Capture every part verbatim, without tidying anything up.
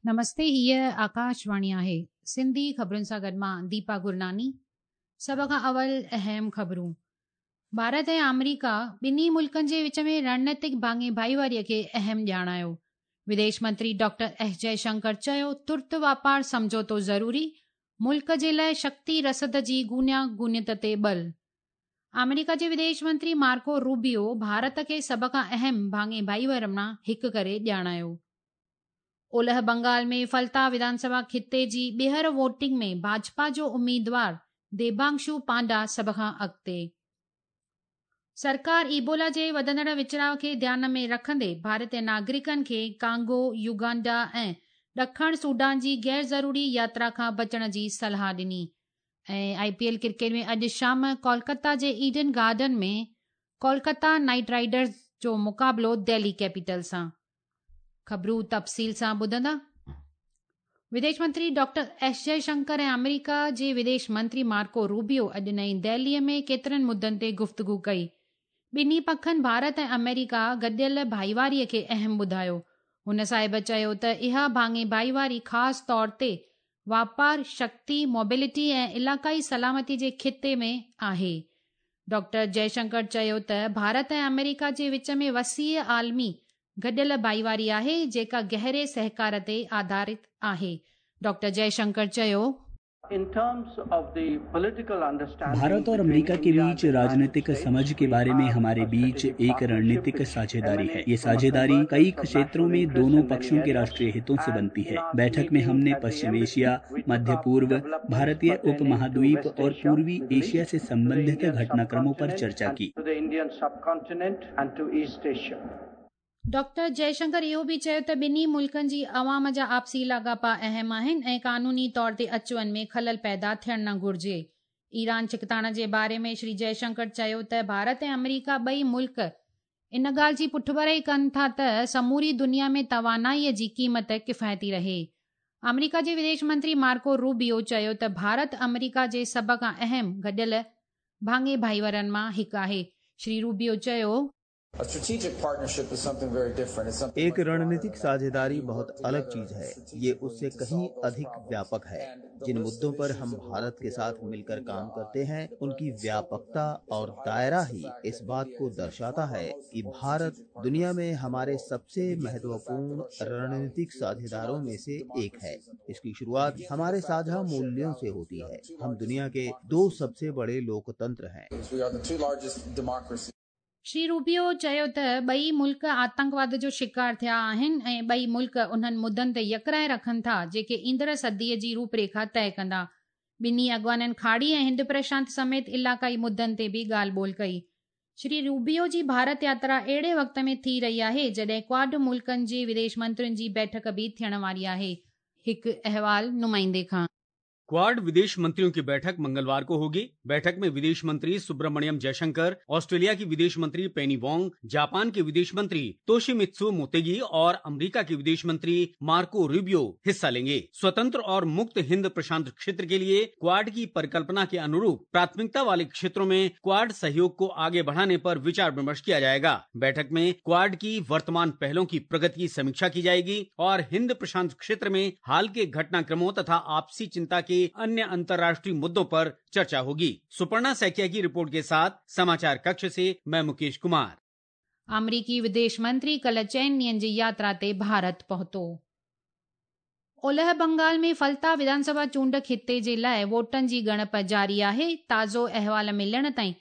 نمستي، هيء آڪاشواڻي آهي. سنڌي خبرن سان گڏ مان ديپا گرناني. سڀ کان اول اهم خبرون. ڀارت ۽ آمريڪا ٻنهي ملڪن جي وچ ۾ رڻنيتڪ ڀاڱي ڀائيواريء کي اهم ڄاڻايو. وديش منتري ڊاڪٽر ايس جئشنڪر چيو، ترت واپار سمجهوتو ضروري، ملڪ جي لاءِ شڪتي رسد جي گونيا گونيت تي ٻل. آمريڪا جي وديش منتري مارڪو روبيو ڀارت کي سڀ کان اهم ڀاڱي ڀائيوار مان هڪ ڪري ڄاڻايو. اولهه بنگال ۾ فلتا وڌانسڀا خطي جي ٻيهر ووٽنگ ۾ ڀاجپا جو اميدوار ديبانشو پانڊا سڀ کان اڳتي. سرڪار ايبولا جي وڌندڙ وچڙاءُ کي ڌيان ۾ رکندي ڀارتي ناگرڪن کي ڪانگو، يوگانڊا ۽ ڏکڻ سوڊان جي غير ضروري ياترا کان بچڻ جي صلاح ڏني. ۽ آء پي ايل ڪرڪيٽ ۾ اڄ شام ڪولڪتا جي Eden garden ۾ Kolkata knight riders جو مقابلو دهلي ڪيپيٽل سان. خبرون تفصيل سان ٻڌندا. وديش منتري ڊاڪٽر ايس جئشنڪر ۽ آمريڪا جي وديش منتري مارڪو روبيو اڄ نئين دهليءَ ۾ ڪيترن مدعن تي گفتگو ڪئي. ٻنهي پکن ڀارت ۽ آمريڪا گڏيل ڀائيواريءَ کي اهم ٻڌايو. هن صاحب چيو ته اها ڀاڱي ڀائيواري خاص طور تي واپار، شڪتي، موبلٽي ۽ علائقائي سلامتي جي خطي ۾ آهي. ڊاڪٽر جئشنڪر چيو ته ڀارت ۽ آمريڪا جي وچ ۾ وسيع عالمي گڏيل ڀائيواري آهي، جيڪا گهري سهڪار تي آڌارت آهي. ڊاڪٽر جئشنڪر چيو، भारत और अमेरिका के बीच राजनीतिक समझ के बारे में हमारे बीच एक रणनीतिक साझेदारी है। ये साझेदारी कई क्षेत्रों में दोनों पक्षों के राष्ट्रीय हितों से बनती है। बैठक में हमने पश्चिम एशिया, मध्य पूर्व, भारतीय उपमहाद्वीप और पूर्वी एशिया से संबंधित घटनाक्रमों पर चर्चा की। डॉक्टर जयशंकर इहो बि चयो त ॿिन्ही मुल्कनि जी अवाम जा आपसी लाॻापा अहम आहिनि ऐं कानूनी तौर ते अचु वञ में ख़लल पैदा थियणु न घुरिजे। ईरान छिकताण जे बारे में श्री जयशंकर चयो त भारत ऐं अमेरिका ॿई मुल्क इन ॻाल्हि जी पुठभराई कनि था त समूरी दुनिया में तवानाईअ जी क़ीमत किफ़ायती रहे। अमेरिका जे विदेश मंत्री मार्को रूबियो चयो त भारत अमेरिका जे सभ खां अहम गॾियल भाङे भाईवारनि मां हिकु आहे। श्री रूबियो चयो, एक रणनीतिक साझेदारी बहुत अलग चीज है। ये उससे कहीं अधिक व्यापक है। जिन मुद्दों पर हम भारत के साथ मिलकर काम करते हैं, उनकी व्यापकता और दायरा ही इस बात को दर्शाता है कि भारत दुनिया में हमारे सबसे महत्वपूर्ण रणनीतिक साझेदारों में से एक है। इसकी शुरुआत हमारे साझा मूल्यों से होती है। हम दुनिया के दो सबसे बड़े लोकतंत्र हैं। श्री रूबियो चयो त ॿई मुल्क आतंकवाद जो शिकार थिया आहिनि ऐं ॿई मुल्क उन्हनि मुद्दनि ते यकराय रखनि था जेके ईंदड़ सदीअ जी रूपरेखा तय कंदा। ॿिन्ही अॻवाननि खाड़ी ऐं हिंद प्रशांत समेत इलाइक़ाई मुद्दनि ते बि ॻाल्हि ॿोल कई। श्री रूबियो जी भारत यात्रा अहिड़े वक़्त में थी रही आहे जॾहिं क्वाड मुल्कनि जे विदेश मंत्रियुनि जी बैठक बि थियण वारी आहे। हिकु अहवाल नुमाइंदे खां। क्वाड विदेश मंत्रियों की बैठक मंगलवार को होगी। बैठक में विदेश मंत्री सुब्रमण्यम जयशंकर, ऑस्ट्रेलिया की विदेश मंत्री पेनी वोंग, जापान के विदेश मंत्री तोशिमित्सु मोतेगी और अमेरिका के विदेश मंत्री मार्को रूबियो हिस्सा लेंगे। स्वतंत्र और मुक्त हिंद प्रशांत क्षेत्र के लिए क्वाड की परिकल्पना के अनुरूप प्राथमिकता वाले क्षेत्रों में क्वाड सहयोग को आगे बढ़ाने पर विचार विमर्श किया जाएगा। बैठक में क्वाड की वर्तमान पहलों की प्रगति की समीक्षा की जाएगी और हिंद प्रशांत क्षेत्र में हाल के घटनाक्रमों तथा आपसी चिंता के अन्य अंतर्राष्ट्रीय मुद्दों पर चर्चा होगी। सुपर्णा सैकिया की रिपोर्ट के साथ समाचार कक्ष से मैं मुकेश कुमार। अमरीकी विदेश मंत्री कल चइनि ॾींहंनि जी यात्रा ते भारत पहुतो। ओलह बंगाल में फलता विधानसभा चूंड खिते जे लाइ वोटनि जी ॻणप जारी आहे। ताज़ो अहवाल मिलण ताईं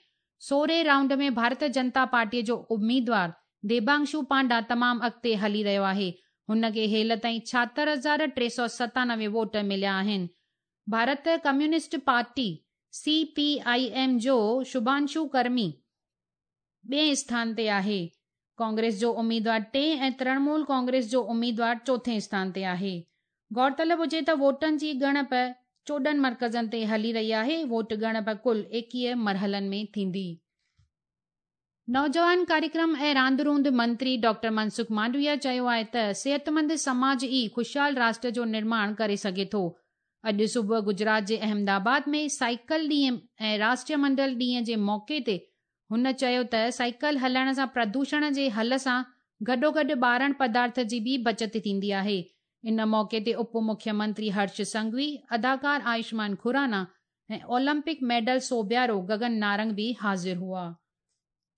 सोरहें राउंड में भारतीय जनता पार्टीअ जो उम्मीदवार देबांशु पांडा तमामु अॻिते हली रहियो आहे। हुन खे हेल ताईं छाहतरि हज़ार टे सौ सतानवे वोट मिलिया आहिनि। Bharat communist party C P I M जो शुभांशु कर्मी ॿिए स्थान ते आहे। कांग्रेस जो उम्मीदवार टे ऐं तृणमूल कांग्रेस जो उम्मीदवार चोथे स्थान ते आहे। गौरतलब हुजे त वोटनि जी ॻणप चोॾहं मर्कज़नि ते हली रही आहे। वोट ॻणप कुल एकवीह मरहलनि में थींदी। नौजवान कार्यक्रम ऐं रांदि रूंद मंत्री डॉक्टर मनसुख मांडविया चयो आहे त सिहतमंद समाज ई ख़ुशहाल राष्ट्र जो निर्माण करे सघे थो। अॼु सुबुह गुजरात जे अहमदाबाद में साइकिल ॾींहुं ऐं राष्ट्रीय मंडल ॾींहं जे मौक़े ते हुन चयो त साइकिल हलाइण सां प्रदूषण जे हल सां गॾोगॾु ॿारण पदार्थ जी बि बचत थींदी आहे। ان موقعي تي اپ مکيمنتري هرش سنگهوي، اداڪار آيوشمان کرانا ۽ اولمپڪ ميڊل سوڀيارو گگن نارنگ به حاضر هئا.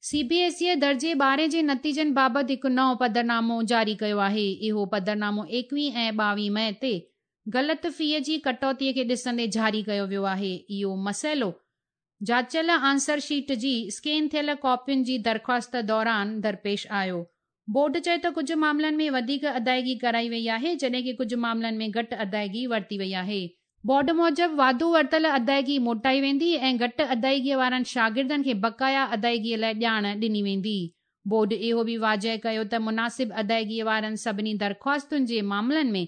سي بي ايس اي درجي ٻارهين جي نتيجن بابت هڪ نئون پڌرنامو جاري ڪيو آهي. اهو پڌرنامو ايڪويهه ۽ ٻاويهه مئي تي غلط فيء جي ڪٽوتيء کي ڏسندي جاري ڪيو ويو آهي. اهو مسئلو جاچيل آنسر شيٽ جي اسڪين ٿيل ڪاپين جي درخواست دوران درپيش آيو. بورڊ چيو ته ڪجهه معاملن ۾ وڌيڪ ادائگي ڪرائي وئي آهي، جڏهن ڪه ڪجهه معاملن ۾ گهٽ ادائگي ورتي وئي آهي. بورڊ موجب واڌو ورتل ادائگي موٽائي ويندي ۽ گهٽ ادائگيء وارن شاگردن کي بقايا ادائگيء لاء ڄاڻ ڏني ويندي. بورڊ اهو به واضح ڪيو ته مناسب ادائگيء وارن سڀني درخواستن جي معاملن ۾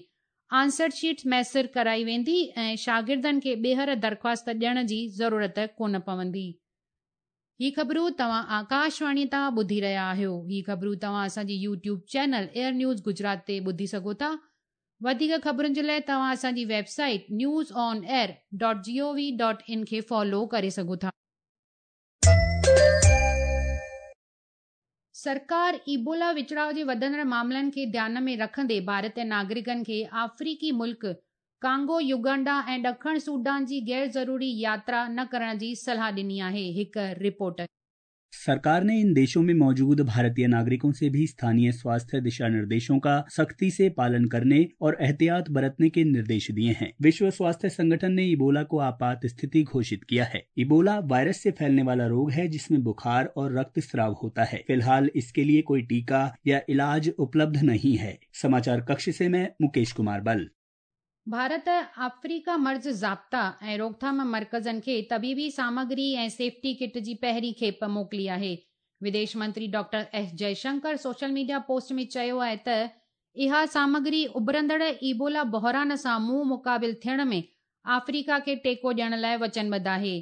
آنسر شيٽس ميسر ڪرائي ويندي ۽ شاگردن کي ٻيهر درخواست ڏيڻ جي ضرورت ڪونه پوندي. هي خبرون توهان آڪاشواڻي تان ٻڌي رهيا آهيو. هي خبرون توهان اسان جي YouTube channel Air News Gujarat تي ٻڌي سگهو ٿا. وڌيڪ خبرن جي لاء توهان اسان جي website news on air dot G O V dot in کي فالو ڪري سگهو ٿا. سرڪار ايبولا وچڙاء جي وڌندڙ معاملن کي ڌيان ۾ رکندي ڀارتي ناگرڪن کي آفريقي ملڪ ڪانگو، يوگنڊا ۽ ڏکڻ سوڊان جي غير ضروري ياترا نه ڪرڻ جي صلاح ڏني آهي. هڪ رپورٽ. सरकार ने इन देशों में मौजूद भारतीय नागरिकों से भी स्थानीय स्वास्थ्य दिशा निर्देशों का सख्ती से पालन करने और एहतियात बरतने के निर्देश दिए हैं। विश्व स्वास्थ्य संगठन ने इबोला को आपात स्थिति घोषित किया है। इबोला वायरस से फैलने वाला रोग है जिसमें बुखार और रक्त स्राव होता है। फिलहाल इसके लिए कोई टीका या इलाज उपलब्ध नहीं है। समाचार कक्ष से मैं मुकेश कुमार बल। भारत आफ्रीका मर्ज़ ज़ाब्ता ऐं रोकथाम मर्कज़नि खे तबीबी सामग्री ऐं सेफ्टी किट जी पहिरीं खेप मोकिली आहे। विदेश मंत्री doctor S Jaishankar social media post में चयो आहे त इहा सामग्री उभरंदड़ इबोला बहरान सां मुंहुं मुक़ाबिल थियण में आफ्रीका खे टेको ॾियण लाइ वचनबद्ध आहे।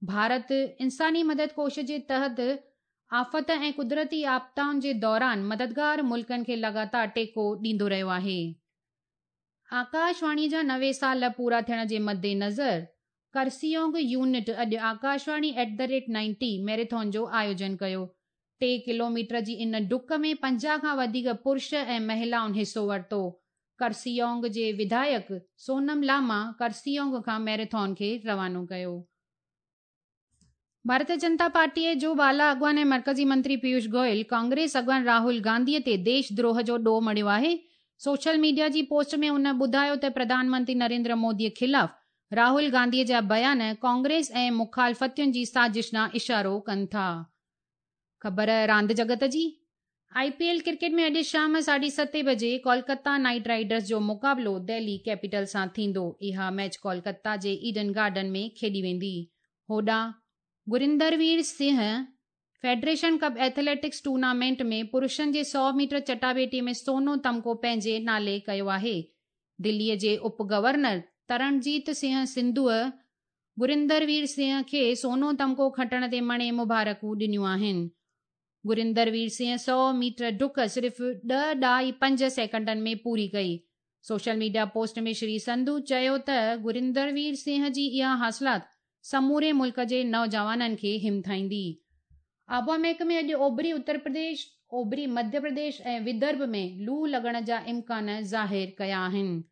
भारत इंसानी मदद कोश जे तहत आफ़त ऐं कुदरती आपदाउनि जे दौरान मददगार मुल्कनि खे लगातार टेको ॾींदो रहियो आहे। आकाशवाणी जा नवे साल पूरा थियण जे मद्देनज़र करसियोंग यूनिट अॼु Akashvani at the rate ninety marathon जो आयोजन कयो। टे किलोमीटर जी इन डुक में पंजाह खां वधीक पुरुष ऐं महिलाउनि हिसो वरितो। करसियोंग जे विधायक सोनम लामा करसियोंग खां मैराथन खे रवानो कयो। भारतीय जनता पार्टीअ जो बाला अॻवान ऐं मर्कज़ी मंत्री पीयूष गोयल कांग्रेस अॻवान राहुल गांधीअ ते देश द्रोह जो ॾोह मढ़ियो आहे। सोशल मीडिया जी पोस्ट में उन ॿुधायो त प्रधानमंत्री नरेंद्र मोदीअ ख़िलाफ़ राहुल गांधीअ जा बयान कांग्रेस ऐं मुखालफ़तियुनि जी साज़िश ॾांहुं इशारो कनि था। ख़बर रांदि जगत जी। I P L cricket में अॼु शाम साढे सते बजे कोलकाता नाइट राइडर्स जो मुक़ाबिलो दिल्ली कैपिटल सां थींदो। इहा मैच कोलकाता जे ईडन गार्डन में खेॾी वेंदी। होॾां Gurindervir Singh federation cup athletics tournament में पुरुषनि जे सौ मीटर चटाबेटी में सोनो तमगो पंहिंजे नाले कयो आहे। दिल्लीअ जे उप गवर्नर तरणजीत सिंह सिंधूअ गुरिंदरवीर सिंह खे सोनो तमगो खटण ते मणे मुबारकूं ॾिनियूं आहिनि। गुरिंदरवीर सिंह सौ मीटर डुक सिर्फ़ ॾह ॾाई पंज सेकंडनि में पूरी कई। सोशल मीडिया पोस्ट में श्री संधू चयो त गुरिंदरवीर सिंह जी इहा हासिलात समूरे मुल्क जे नौजवाननि खे हिमथाईंदी। आबहावा महकमे अॼु ओभरी उत्तर प्रदेश, ओभरी मध्य प्रदेश ऐं विदर्भ में लू लॻण जा इम्कान ज़ाहिर कया आहिनि।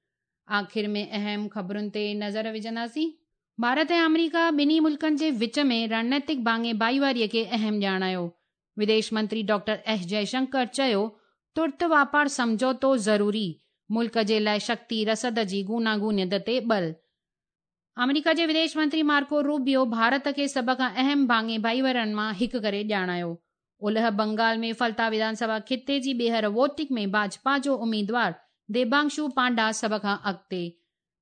आख़िर में अहम ख़बरुनि ते नज़र विझंदासीं। भारत ऐं अमेरिका ॿिन्ही मुल्कनि जे विच में रणनीतिक भाङे भाईवारीअ खे अहम ॼाणायो। विदेश मंत्री डॉक्टर एस जयशंकर चयो तुर्त वापार सम्झौतो ज़रूरी, मुल्क जे लाइ शक्ति रसद जी गूनागूनियत ते बल। अमेरिका जे विदेश मंत्री मार्को रूबियो भारत खे सभ खां अहम भाङे भाईवारनि मां हिकु करे ॼाणायो। उलह बंगाल में फलता विधानसभा खिते जी ॿीहर वोटिंग में भाजपा जो उम्मीदवार देबांशु पांडा सभ खां अॻिते।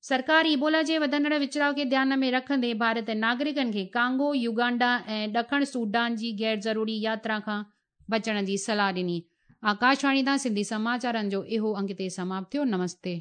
सरकार इबोला जे वधंदड़ विचराव खे ध्यान में रखंदे भारत नागरिकनि खे कांगो, युगांडा ऐं ॾखण सूडान जी गैर ज़रूरी यात्रा खां बचण जी सलाह ॾिनी। आकाशवाणी तां सिंधी समाचारनि जो इहो अंक हिते समाप्त थियो। नमस्ते।